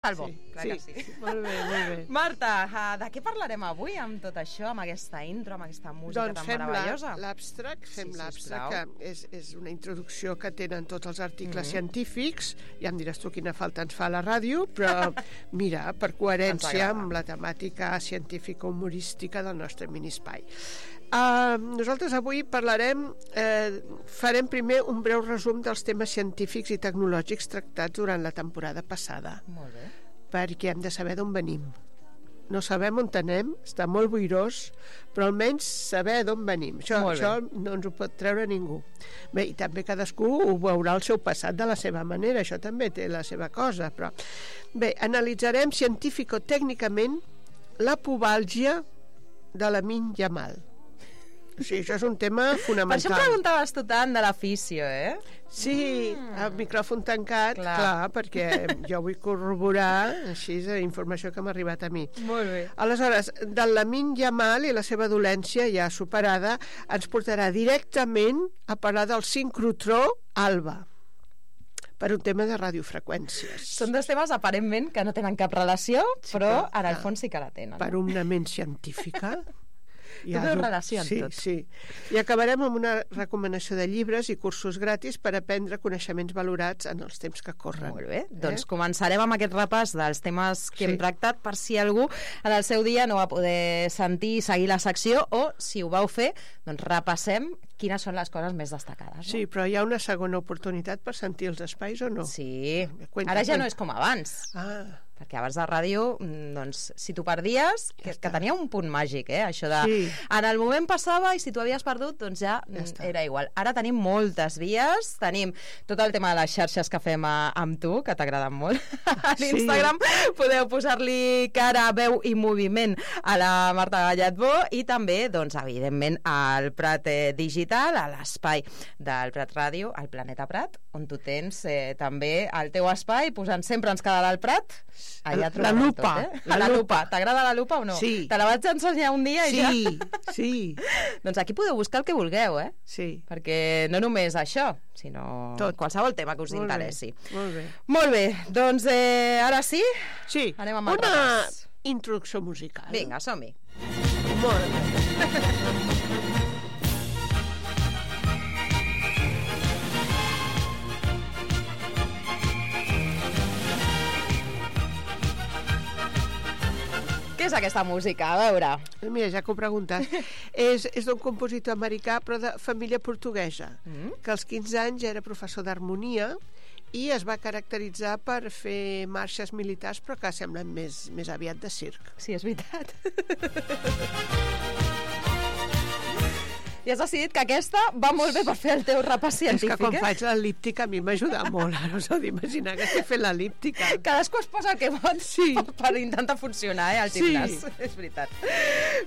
Salvo, clar que sí. Molt bé, molt bé. Marta, de què parlarem avui amb tot això, amb aquesta intro, amb aquesta música tan meravellosa? Doncs fem l'abstract, que és una introducció que tenen tots els articles científics. Ja em diràs tu quina falta ens fa a la ràdio, però mira, per coherència amb la temàtica científica humorística del nostre minispai. Nosaltres avui farem primer un breu resum dels temes científics i tecnològics tractats durant la temporada passada. Molt bé. Perquè hem de saber d'on venim. No sabem on anem, està molt boirós, però almenys saber d'on venim. Això no ens ho pot treure ningú. Bé, i també cadascú ho veurà el seu passat de la seva manera, això també té la seva cosa, però... Bé, analitzarem científico-tècnicament la pubàlgia de Lamine Yamal. O sigui, això és un tema fonamental. Per això preguntaves tu tant de l'afició, Sí, el micròfon tancat, clar, perquè jo vull corroborar així la informació que m'ha arribat a mi. Molt bé. Aleshores, del Lamine Yamal i la seva dolència ja superada ens portarà directament a parlar del sincrotró alba, per un tema de radiofreqüències. Són dos temes aparentment que no tenen cap relació, però en el fons sí que la tenen. Per una ment científica... Tot és relació amb tot. Sí. I acabarem amb una recomanació de llibres i cursos gratis per aprendre coneixements valorats en els temps que corren. Molt bé, doncs començarem amb aquest repàs dels temes que hem tractat, per si algú en el seu dia no va poder sentir i seguir la secció, o si ho vau fer, doncs repassem quines són les coses més destacades. Sí, però hi ha una segona oportunitat per sentir els espais o no? Sí, ara ja no és com abans. Perquè abans de ràdio, doncs, si t'ho perdies, que tenia un punt màgic, això de... En el moment passava i si t'ho havies perdut, doncs ja era igual. Ara tenim moltes vies, tenim tot el tema de les xarxes que fem amb tu, que t'agraden molt. A l'Instagram podeu posar-li cara, veu i moviment a la Marta Gallatbó i també, doncs, evidentment, al Prat Digital, a l'espai del Prat Ràdio, al Planeta Prat, on tu tens també el teu espai, posant sempre ens quedarà el Prat. La lupa. La lupa. T'agrada la lupa o no? Sí. Te la vaig ensenyar un dia i ja... Sí. Doncs aquí podeu buscar el que vulgueu, Sí. Perquè no només això, sinó qualsevol tema que us interessi. Molt bé. Molt bé, doncs ara sí? Sí. Anem amb el repàs. Una introducció musical. Vinga, som-hi. Molt bé. Què és aquesta música? A veure. Mira, ja que ho preguntes. És d'un compositor americà, però de família portuguesa, que als 15 anys era professor d'harmonia i es va caracteritzar per fer marxes militars, però que semblen més aviat de circ. Sí, és veritat. I has decidit que aquesta va molt bé per fer el teu repàs científic. És que quan faig l'el·líptica a mi m'ajuda molt. Ara us heu d'imaginar que estic fent l'el·líptica. Cadascú es posa el que vol per intentar funcionar, al gimnàs. És veritat.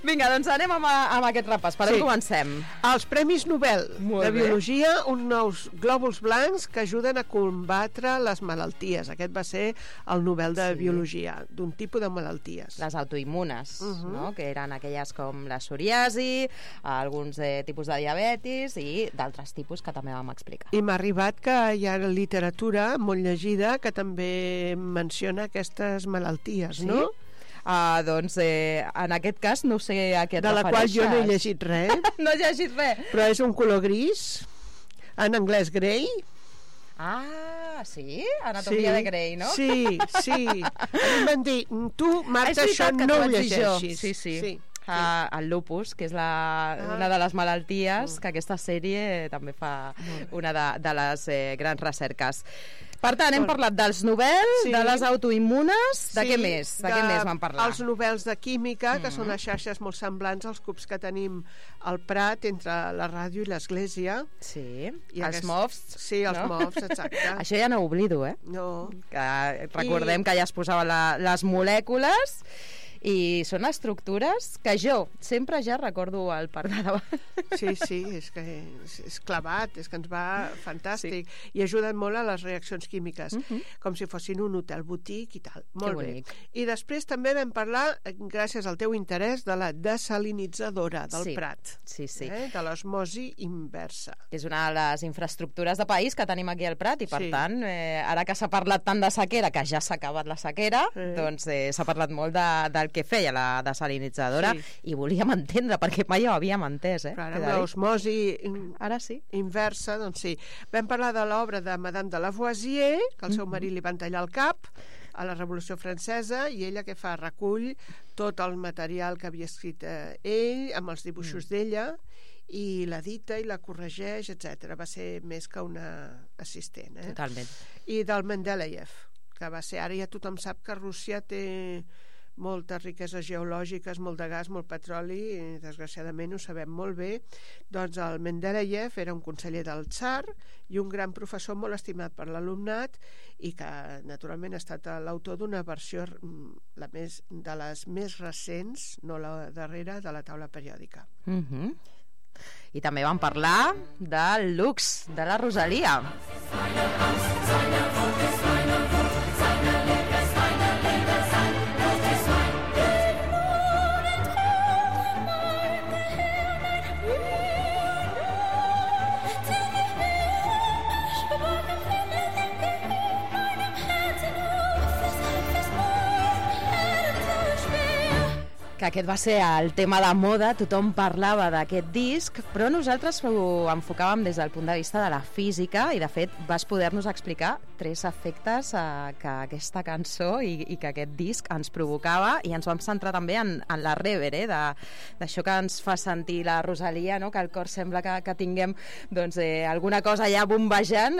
Vinga, doncs anem amb aquest repàs. Per on comencem? Els Premis Nobel de Biologia, uns nous glòbuls blancs que ajuden a combatre les malalties. Aquest va ser el Nobel de Biologia, d'un tipus de malalties. Les autoimmunes, no? Que eren aquelles com la psoriasi, alguns tipus de diabetis i d'altres tipus que també vam explicar. I m'ha arribat que hi ha literatura molt llegida que també menciona aquestes malalties, no? Doncs en aquest cas no sé a què et refereixes. De la qual jo no he llegit res. No he llegit res. Però és un color gris, en anglès grey. Sí? Anatomia de Grey, no? Sí. A mi m'han dit, tu, Marta, això no ho llegeixis. Sí. El lupus, que és una de les malalties que aquesta sèrie també fa una de les grans recerques. Per tant, hem parlat dels Nobels, de les autoimmunes, de què més? De què més vam parlar? Els Nobels de Química, que són les xarxes molt semblants als cubs que tenim al Prat, entre la ràdio i l'església. Sí, els MOFs. Sí, els MOFs, exacte. Això ja no ho oblido, No. Que recordem que ja es posaven les molècules. I són estructures que jo sempre ja recordo al parc de davant. Sí, és que és clavat, és que ens va fantàstic. I ajuden molt a les reaccions químiques, com si fossin un hotel botic i tal. Molt bé. I després també vam parlar, gràcies al teu interès, de la desalinitzadora del Prat. Sí. De l'osmosi inversa. És una de les infraestructures de país que tenim aquí al Prat i, per tant, ara que s'ha parlat tant de sequera, que ja s'ha acabat la sequera, doncs s'ha parlat molt del que feia la desalinitzadora i volíem entendre, perquè mai ho havíem entès. Però ara l'osmosi inversa, doncs sí. Vam parlar de l'obra de Madame de Lavoisier, que al seu marit li van tallar el cap a la Revolució Francesa, i ella què fa? Recull tot el material que havia escrit ell, amb els dibuixos d'ella, i l'edita i la corregeix, etc. Va ser més que una assistent. Totalment. I del Mendeleev, que va ser... Ara ja tothom sap que Rússia té moltes riqueses geològiques, molt de gas, molt petroli, i desgraciadament ho sabem molt bé. Doncs el Mendeleev era un conseller del tsar i un gran professor molt estimat per l'alumnat i que naturalment ha estat l'autor d'una versió de les més recents, no la darrera, de la taula periòdica. I també vam parlar del Lux, de la Rosalia. Que aquest va ser el tema de moda, tothom parlava d'aquest disc, però nosaltres ho enfocàvem des del punt de vista de la física i, de fet, vas poder-nos explicar 3 efectes que aquesta cançó i que aquest disc ens provocava, i ens vam centrar també en la reverb, d'això que ens fa sentir la Rosalia, no? Que el cor sembla que tinguem alguna cosa allà bombejant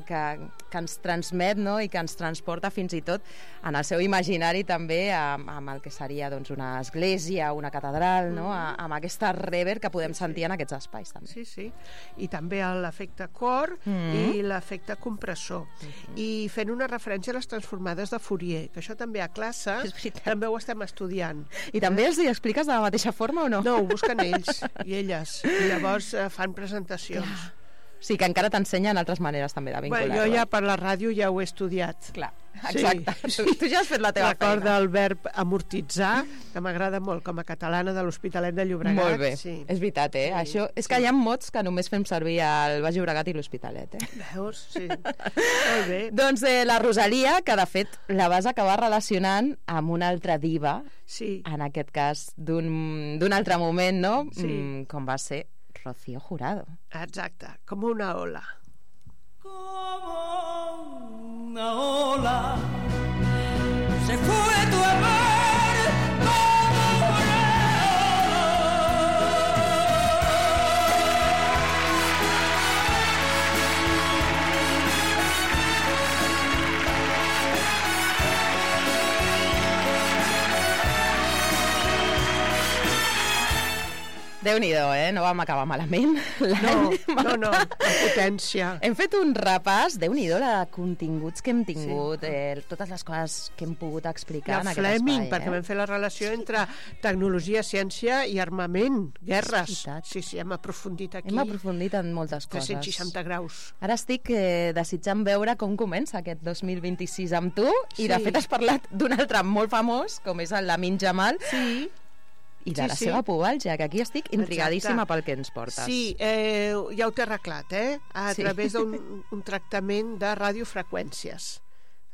que ens transmet, no? I que ens transporta fins i tot en el seu imaginari també amb el que seria una església, una catedral, no? Amb aquesta reverb que podem sentir en aquests espais també. Sí. I també l'efecte cor i l'efecte compressor. I fent una referència a les transformades de Fourier, que això també a classe també ho estem estudiant. I també els hi expliques de la mateixa forma o no? No, ho busquen ells i elles, i llavors fan presentacions. Sí, que encara t'ensenyen altres maneres també de vincular-ho. Jo ja per la ràdio ja ho he estudiat. Clar, exacte. Sí. Tu ja has fet la teva feina. Recorda el verb amortitzar, que m'agrada molt, com a catalana de l'Hospitalet de Llobregat. Molt bé, és veritat, Això, és que hi ha mots que només fem servir al Baix Llobregat i l'Hospitalet, Veus? Sí. Molt bé. Doncs la Rosalia, que de fet la vas acabar relacionant amb una altra diva, en aquest cas d'un altre moment, no? Com va ser Rocío Jurado. Exacte, com una ola. Como una ola se fue tu amor como una Déu-n'hi-do, no vam acabar malament. No, amb potència. Hem fet un repàs, Déu-n'hi-do, de continguts que hem tingut, totes les coses que hem pogut explicar en aquest espai. Fleming, perquè vam fer la relació entre tecnologia, ciència i armament, guerres. Sí, hem aprofundit aquí. Hem aprofundit en moltes coses. 360 graus. Ara estic desitjant veure com comença aquest 2026 amb tu, i de fet has parlat d'un altre molt famós, com és el Lamine Yamal. Sí. I de la seva pubalgia, que aquí estic intrigadíssima pel que ens portes. Sí, ja ho t'he arreglat, a través d'un tractament de radiofreqüències.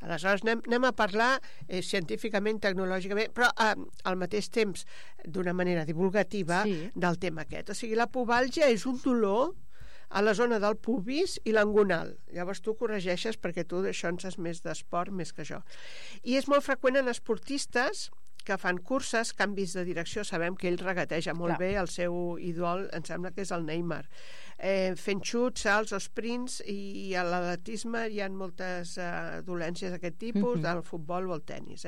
Aleshores anem a parlar científicament, tecnològicament, però al mateix temps d'una manera divulgativa del tema aquest. O sigui, la pubalgia és un dolor a la zona del pubis i l'angonal. Llavors tu corregeixes perquè tu d'això en saps més d'esport més que jo. I és molt freqüent en esportistes que fan curses, canvis de direcció. Sabem que ell regateja molt bé, el seu ídol em sembla que és el Neymar, fent xuts, salts o sprints, i a l'atletisme hi ha moltes dolències d'aquest tipus, del futbol o el tennis.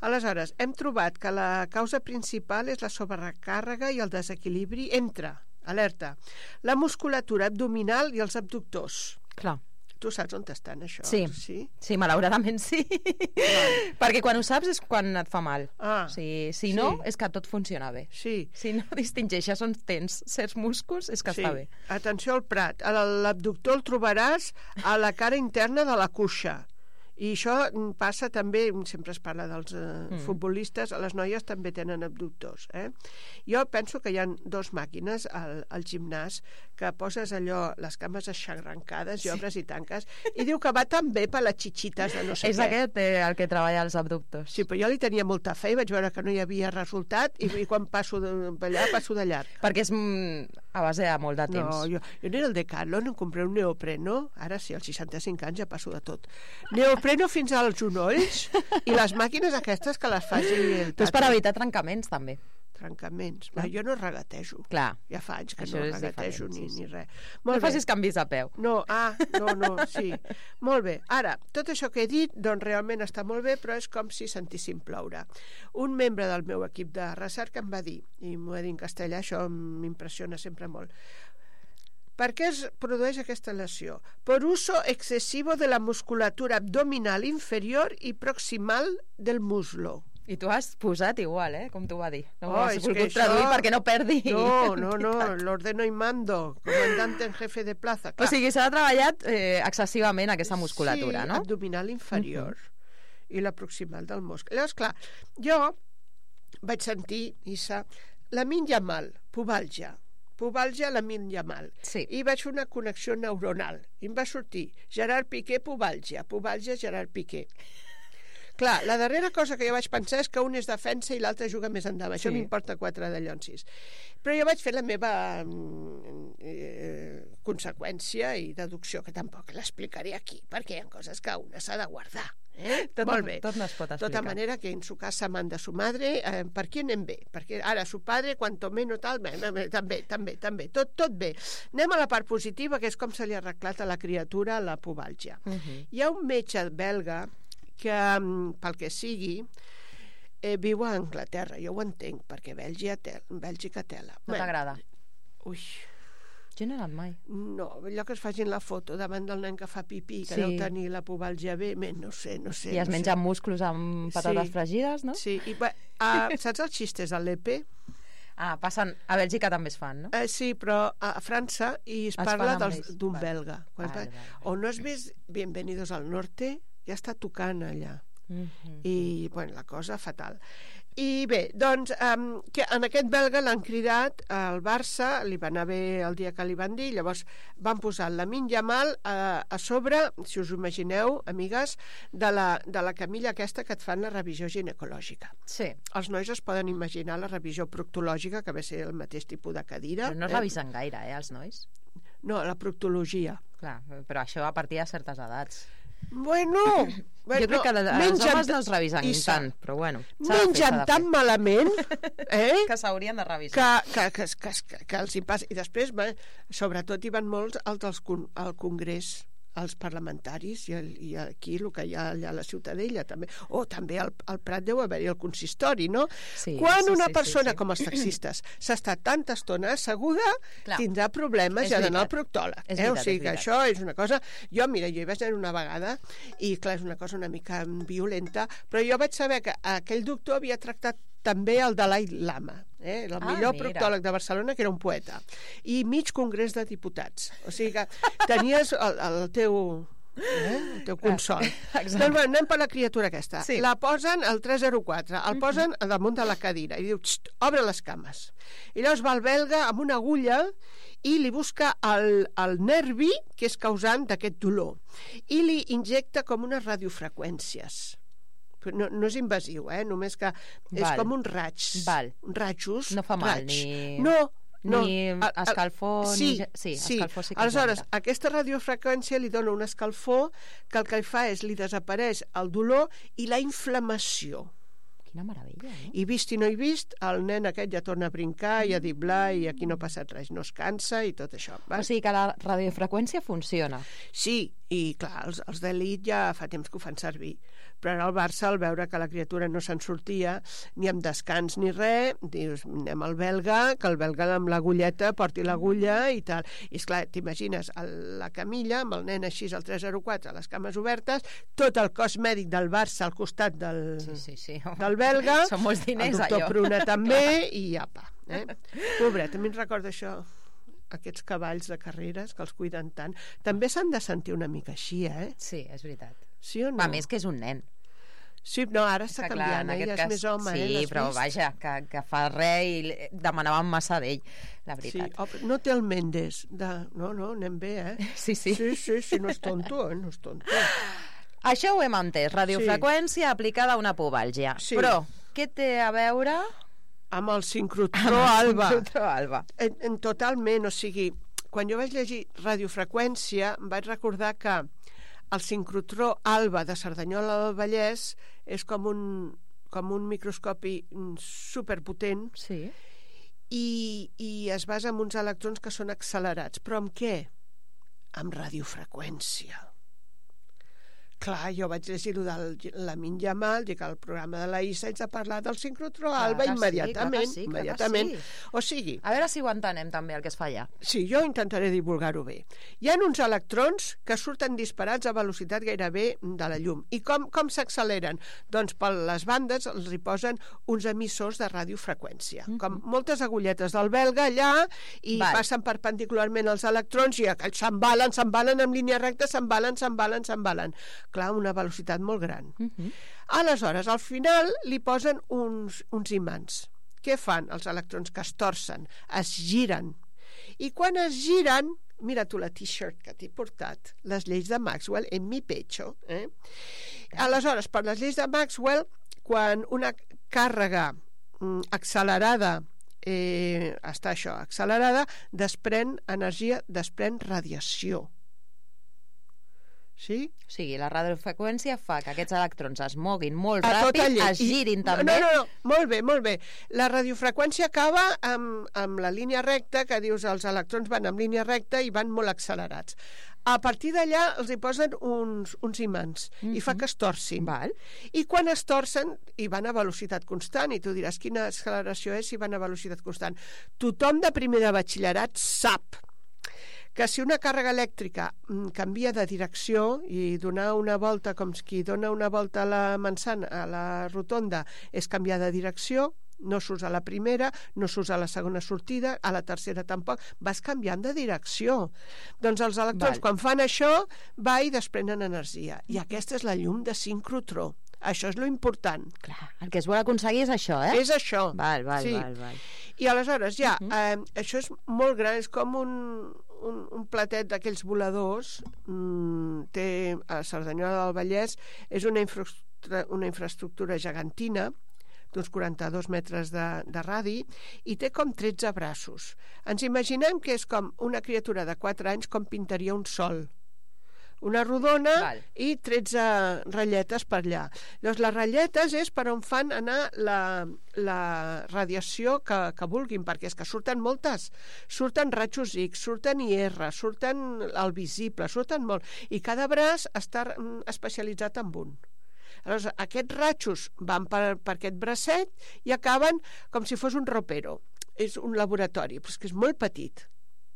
Aleshores, hem trobat que la causa principal és la sobrecàrrega i el desequilibri entre, alerta, la musculatura abdominal i els abductors. Clar. Tu saps on estan, això? Sí, malauradament sí. Perquè quan ho saps és quan et fa mal. Si no, és que tot funciona bé. Si no distingeixes on tens certs músculs, és que està bé. Atenció al prat. L'abductor el trobaràs a la cara interna de la cuixa. I això passa també, sempre es parla dels futbolistes, les noies també tenen abductors. Jo penso que hi ha 2 màquines al gimnàs que poses allò, les cames aixarrancades i obres i tanques, i diu que va tan bé per les xitxites de no sé què. És aquest el que treballa els abductors. Sí, però jo li tenia molta fe i vaig veure que no hi havia resultat i quan passo d'allà, passo de llarg. Perquè és a base de molt de temps. No, jo anava al Decathlon, em compré un neopreno, ara sí, als 65 anys ja passo de tot. Neopreno fins als genolls i les màquines aquestes que les faci el tata. Tu és per evitar trencaments, també. Trencaments. Jo no regatejo. Clar. Ja fa anys que no regatejo ni res. No facis canvis a peu. No, sí. Molt bé. Ara, tot això que he dit, doncs realment està molt bé, però és com si sentíssim ploure. Un membre del meu equip de recerca em va dir, i m'ho he dit en castellà, això m'impressiona sempre molt, ¿per qué es produeix aquesta lesió? Por uso excesivo de la musculatura abdominal inferior y proximal del muslo. I tu has posat igual, com t'ho va dir. No ho has volgut traduir perquè no perdi. No, l'ordeno y mando, comandante en jefe de plaza. Clar. O sigui, s'ha treballat excessivament aquesta musculatura, no? Sí, abdominal inferior i la proximal del muscle. Llavors, clar, jo vaig sentir, Issa, Lamine Yamal, pubalgia, Lamine Yamal. Sí. I vaig fer una connexió neuronal. I em va sortir Gerard Piqué, pubalgia, Gerard Piqué. Clar, la darrera cosa que jo vaig pensar és que un és defensa i l'altre juga més endavant. Això m'importa 4 de llonsis. Però jo vaig fer la meva conseqüència i deducció, que tampoc l'explicaré aquí, perquè hi ha coses que una s'ha de guardar. Molt bé. Tot no es pot explicar. De tota manera que en su casa manda su madre, per qui anem bé? Perquè ara su padre, cuanto menos tal, també, tot bé. Anem a la part positiva, que és com se li ha arreglat a la criatura la pubalgia. Hi ha un metge belga que, pel que sigui, viu a Anglaterra. Jo ho entenc, perquè Bèlgica tela. No t'agrada? Ui. Jo no he anat mai. No, allò que es facin la foto davant del nen que fa pipí, que deu tenir la pubalgia bé, no sé. I es mengen músculs amb patates fregides, no? Sí, i saps els xistes a l'EPE? Passen, a Bèlgica també es fan, no? Sí, però a França i es parla d'un belga. O no has vist Bienvenidos al Norte? Ja està tocant allà. I, bueno, la cosa fatal. I bé, doncs, que en aquest belga l'han cridat al Barça, li va anar bé el dia que li van dir, llavors van posar el Lamine Yamal a sobre, si us ho imagineu, amigues, de la camilla aquesta que et fan la revisió ginecològica. Sí. Els nois es poden imaginar la revisió proctològica, que ve ser el mateix tipus de cadira. Però no revisen gaire, els nois? No, la proctologia. Clar, però això a partir de certes edats. Bueno, jo crec que els homes no es revisen tant, però bueno. Mengen tan malament que s'haurien de revisar. Que els hi passa. I després, sobretot, hi van molts al Congrés, els parlamentaris, i aquí el que hi ha allà a la Ciutadella també. També al Prat deu haver-hi el consistori, no? Quan una persona, com els taxistes, s'està tanta estona asseguda, tindrà problemes i ha d'anar al proctòleg. O sigui que això és una cosa... Jo hi vaig anar una vegada i, clar, és una cosa una mica violenta, però jo vaig saber que aquell doctor havia tractat també el Dalai Lama, el millor proctòleg de Barcelona, que era un poeta, i mig congrés de diputats. O sigui que tenies el teu consol. Doncs anem per la criatura aquesta. La posen al 304, el posen damunt de la cadira i diu, obre les cames. I llavors va el belga amb una agulla i li busca el nervi que és causant d'aquest dolor i li injecta com unes radiofreqüències. No és invasiu, només que és com un raig. Rajos. No fa mal, ni... Ni escalfor... Sí, escalfor sí que aleshores, aquesta radiofreqüència li dona un escalfor que el que fa és li desapareix el dolor i la inflamació. Quina meravella, no? I vist i no he vist, el nen aquest ja torna a brincar i a diblar i aquí no ha passat res, no es cansa i tot això. O sigui que la radiofreqüència funciona. Sí, I clar, els d'elit ja fa temps que ho fan servir, però ara el Barça, al veure que la criatura no se'n sortia ni amb descans ni res, dius, anem al belga, que el belga amb l'agulleta porti l'agulla i tal. I esclar, t'imagines la camilla amb el nen així al 304, les cames obertes, tot el cos mèdic del Barça al costat del belga, són molts diners, el doctor Pruna també, i apa. Pobret, a mi em recorda això, aquests cavalls de carreres que els cuiden tant. També s'han de sentir una mica així, Sí, és veritat. Sí o no? A més que és un nen. Sí, no, ara està canviant, ja és més home. Sí, però vaja, que fa res i demanàvem massa d'ell, la veritat. Sí, no té el Mendes. No, anem bé, Sí, no és tonto, no és tonto. Això ho hem entès, radiofreqüència aplicada a una pubàlgia. Però què té a veure amb el sincrotró alba? En totalment, o sigui, quan jo vaig llegir radiofreqüència em vaig recordar que el sincrotró alba de Cerdanyola del Vallès és com un microscopi superpotent, i es basa en uns electrons que són accelerats. Però amb què? Amb radiofreqüència. Clar, jo vaig llegir-ho de Lamine Yamal, dic, al programa de la ISA haig de parlar del sincrotró alba immediatament. O sigui... A veure si ho entenem també, el que es fa allà. Sí, jo intentaré divulgar-ho bé. Hi ha uns electrons que surten disparats a velocitat gairebé de la llum. I com s'acceleren? Doncs per les bandes els hi posen uns emissors de radiofreqüència. Com moltes agulletes del belga allà, i passen perpendicularment els electrons i s'embalen en línia recta, s'embalen. Clar, una velocitat molt gran. Aleshores, al final li posen uns imants. Què fan els electrons? Que es torcen, es giren. I quan es giren, mira tu la t-shirt que t'he portat, les lleis de Maxwell en mi pecho. Aleshores, per les lleis de Maxwell, quan una càrrega accelerada està accelerada, desprèn energia, desprèn radiació. Sí? O sigui, la radiofreqüència fa que aquests electrons es moguin molt ràpid, es girin també. No, molt bé. La radiofreqüència acaba amb la línia recta, que dius els electrons van en línia recta i van molt accelerats. A partir d'allà els hi posen uns imants i fa que es torcin. I quan es torcen, i van a velocitat constant, i tu diràs quina acceleració és si van a velocitat constant. Tothom de primer de batxillerat sap que si una càrrega elèctrica canvia de direcció i donar una volta com qui dona una volta a la manzana, a la rotonda, és canviar de direcció, no surts a la primera, no surts a la segona sortida, a la tercera tampoc, vas canviant de direcció. Doncs els electrons, quan fan això, i desprenen energia. I aquesta és la llum de sincrotró. Això és lo important. Clar, el que es vol aconseguir és això, És això. Val. I aleshores això és molt gran, és com un platet d'aquells voladors. Té a Cerdanyola del Vallès, és una infraestructura gegantina d'uns 42 metres de radi i té com 13 braços. Ens imaginem que és com una criatura de 4 anys com pintaria un sol. Una rodona i 13 ratlletes per allà. Llavors, les ratlletes és per on fan anar la radiació que vulguin, perquè és que surten moltes. Surten rajos X, surten IR, surten el visible, surten molt. I cada braç està especialitzat en un. Aleshores, aquests rajos van per aquest bracet i acaben com si fos un ropero. És un laboratori, però és que és molt petit.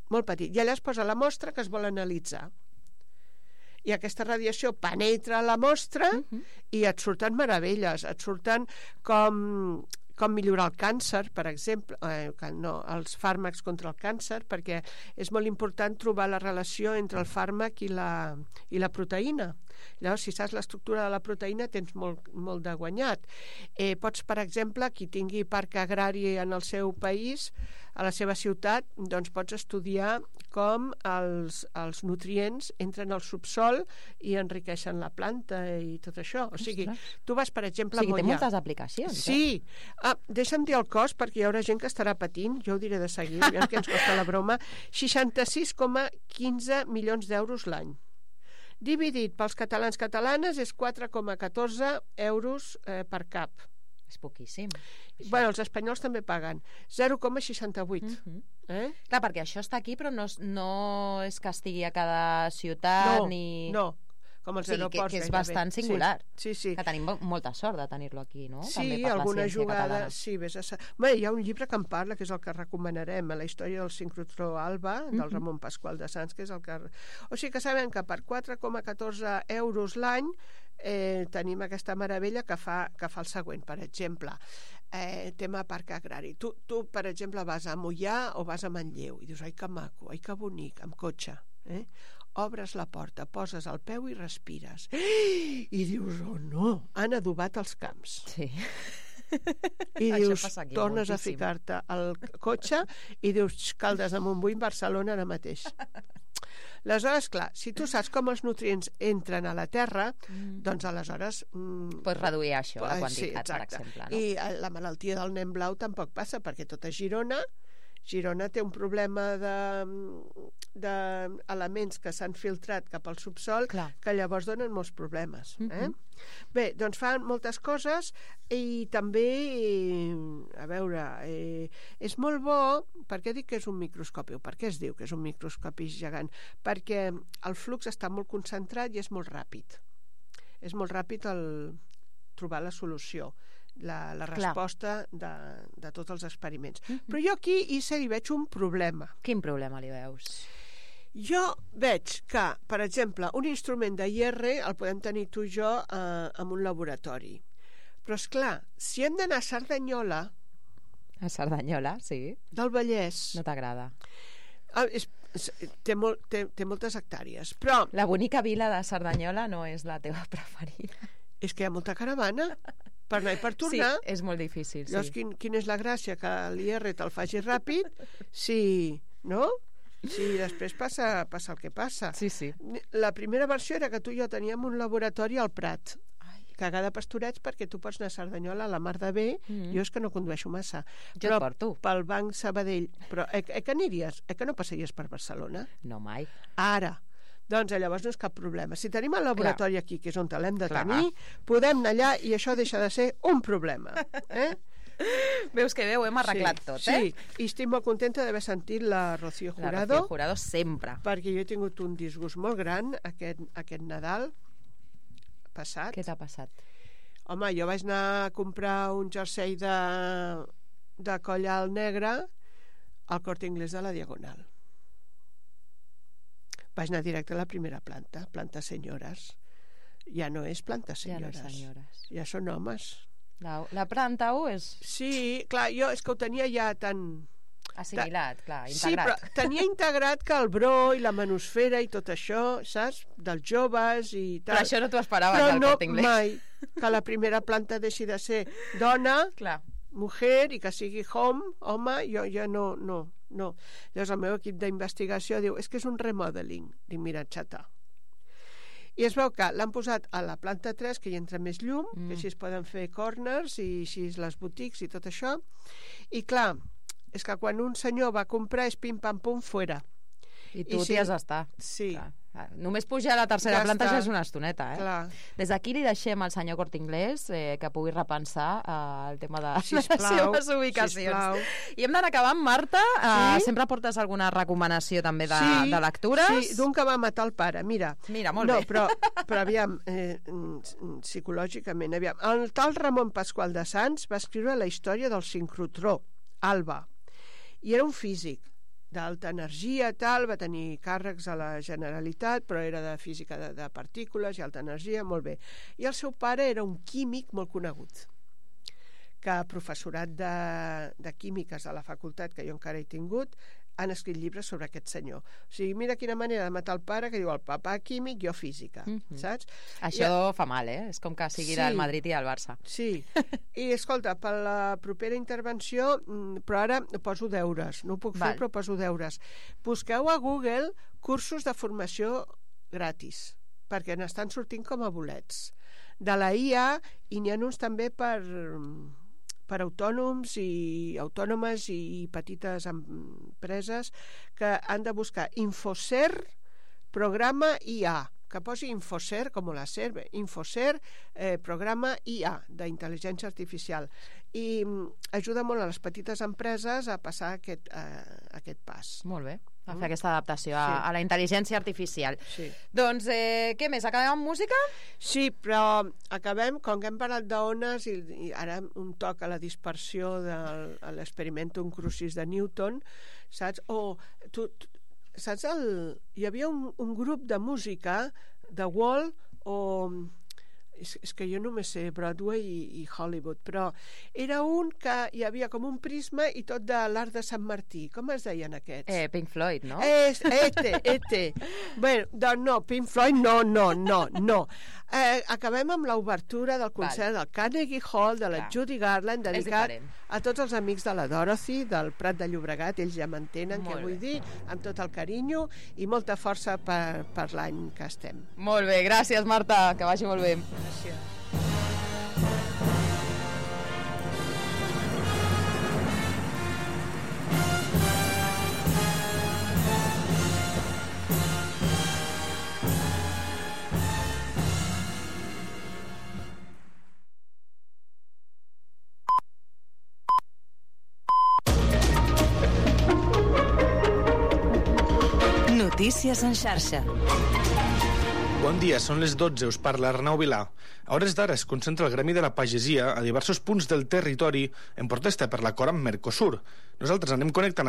I allà es posa la mostra que es vol analitzar. I aquesta radiació penetra la mostra i et surten meravelles, et surten com millorar el càncer, per exemple, els fàrmacs contra el càncer, perquè és molt important trobar la relació entre el fàrmac i la proteïna. Llavors, si saps l'estructura de la proteïna, tens molt de guanyat. Pots, per exemple, qui tingui parc agrari en el seu país, a la seva ciutat, doncs pots estudiar com els nutrients entren al subsol i enriqueixen la planta i tot això. O sigui, tu vas, per exemple, a Moià. O sigui, té moltes aplicacions. Sí. Deixa'm dir el cost, perquè hi haurà gent que estarà patint, jo ho diré de seguir, que ens costa la broma, 66,15 milions d'euros l'any. Dividit pels catalans catalanes és 4,14 euros per cap. És poquíssim. Bueno, els espanyols també paguen 0,68. Clar, perquè això està aquí, però no és que estigui a cada ciutat ni... No, com els aeroports. Que és bastant singular. Sí. Que tenim molta sort de tenir-lo aquí, no? Sí, alguna jugada... Sí, bé, hi ha un llibre que en parla, que és el que recomanarem, la història del sincrotró Alba, del Ramon Pasqual de Sants, que és el que... O sigui que sabem que per 4,14 euros l'any tenim aquesta meravella que fa el següent, per exemple, tema parc agrari. Tu, per exemple, vas a Moià o vas a Manlleu i dius, ai que maco, ai que bonic, amb cotxe, obres la porta, poses el peu i respires. I dius, oh no, han adobat els camps. Sí. I dius, tornes a ficar-te al cotxe i dius, Caldes de Montbui, Barcelona ara mateix. Aleshores, clar, si tu saps com els nutrients entren a la terra, doncs aleshores... Pots reduir això, la quantitat, per exemple. No? I la malaltia del nen blau tampoc passa, perquè tota Girona té un problema d'elements que s'han filtrat cap al subsol, que llavors donen molts problemes. Bé, doncs fan moltes coses i també, a veure, és molt bo, per què dic que és un microscopi? O per què es diu que és un microscopi gegant? Perquè el flux està molt concentrat i és molt ràpid. És molt ràpid trobar la solució, la resposta de tots els experiments. Però jo aquí, Issa, hi veig un problema. Quin problema li veus? Jo veig que, per exemple, un instrument de IR el podem tenir tu i jo en un laboratori. Però, esclar, si hem d'anar a Cerdanyola... A Cerdanyola, sí. Del Vallès... No t'agrada? Té moltes hectàrees, però... La bonica vila de Cerdanyola no és la teva preferida. És que hi ha molta caravana per anar i per tornar. Sí, és molt difícil, sí. Llavors, quina és la gràcia? Que l'IR te'l faci ràpid, no? Si després passa el que passa. Sí. La primera versió era que tu i jo teníem un laboratori al Prat, cagada pastorets, perquè tu pots anar a Cerdanyola a la mar de bé. Jo és que no condueixo massa. Jo et porto. Pel Banc Sabadell. Però que aniries? Que no passaries per Barcelona? No, mai. Ara. Doncs llavors no és cap problema. Si tenim el laboratori aquí, que és on l'hem de tenir, podem anar allà i això deixa de ser un problema. Veus que bé, ho hem arreglat tot, Sí, i estic molt contenta d'haver sentit la Rocío Jurado. La Rocío Jurado sempre. Perquè jo he tingut un disgust molt gran aquest Nadal passat. Què t'ha passat? Home, jo vaig anar a comprar un jersei de coll alt negre al Corte Inglés de la Diagonal. Vaig anar directe a la primera planta senyores. Ja no és planta senyores. Ja són homes. La planta 1 és... Sí, clar, jo és que ho tenia ja tan... Assimilat, clar, integrat. Sí, però tenia integrat que el bro i la manusfera i tot això, saps? Dels joves i tal. Però això no t'ho esperaves al Corte Inglés. Però no mai que la primera planta deixi de ser dona, mujer, i que sigui home, jo ja no. Llavors el meu equip d'investigació diu, és que és un remodeling. Dic, mira, xata. I es veu que l'han posat a la planta 3, que hi entra més llum, que així es poden fer corners i així les boutiques i tot això. I clar, és que quan un senyor va comprar és pim-pam-pum, fora. I tu t'hi has d'estar. Sí. Clar. Només pujar a la tercera planta ja és una estoneta, Clar. Des d'aquí li deixem al senyor Corte Inglés que pugui repensar el tema de les seves ubicacions. Sisplau. I hem d'anar acabant, Marta. Sempre portes alguna recomanació també de lectures? Sí, d'un que va matar el pare. Mira, molt bé. Però aviam, psicològicament, aviam. El tal Ramon Pasqual de Sants va escriure la història del sincrotró, Alba, i era un físic d'alta energia, va tenir càrrecs a la Generalitat, però era de física de partícules i alta energia, molt bé. I el seu pare era un químic molt conegut, que professorat de químiques a la facultat, que jo encara he tingut, han escrit llibres sobre aquest senyor. O sigui, mira quina manera de matar el pare, que diu el papà químic, jo física, saps? Això fa mal, És com que sigui del Madrid i del Barça. Sí, i escolta, per la propera intervenció, però ara poso deures, no ho puc fer, però poso deures. Busqueu a Google cursos de formació gratis, perquè n'estan sortint com a bolets. De la IA, i n'hi ha uns també per autònoms i autònomes i petites empreses que han de buscar Infocer programa IA que posi Infocer, com la SER, Infocer, programa IA, d'intel·ligència artificial, i ajuda molt a les petites empreses a passar aquest pas. Molt bé, a fer aquesta adaptació a la intel·ligència artificial. Sí. Doncs, què més? Acabem amb música? Sí, però acabem, com que hem parlat d'ones, i ara un toc a la dispersió de l'experimentum crucis de Newton, saps? Saps, hi havia un grup de música de Wall, és que jo només sé Broadway i Hollywood, però era un que hi havia com un prisma i tot de l'Arc de Sant Martí. Com es deien aquests? Pink Floyd, no? Bueno, doncs no, Pink Floyd no. Acabem amb l'obertura del concert del Carnegie Hall de la Judy Garland, dedicat a tots els amics de la Dorothy, del Prat de Llobregat, ells ja m'entenen què vull dir, amb tot el carinyo i molta força per l'any que estem. Molt bé, gràcies Marta, que vagi molt bé. Gràcies. Notícies en xarxa. Bon dia, són les 12, us parla Arnau Vilà. A hores d'ara es concentra el Gremi de la Pagesia a diversos punts del territori en protesta per l'acord amb Mercosur. Nosaltres anem connectant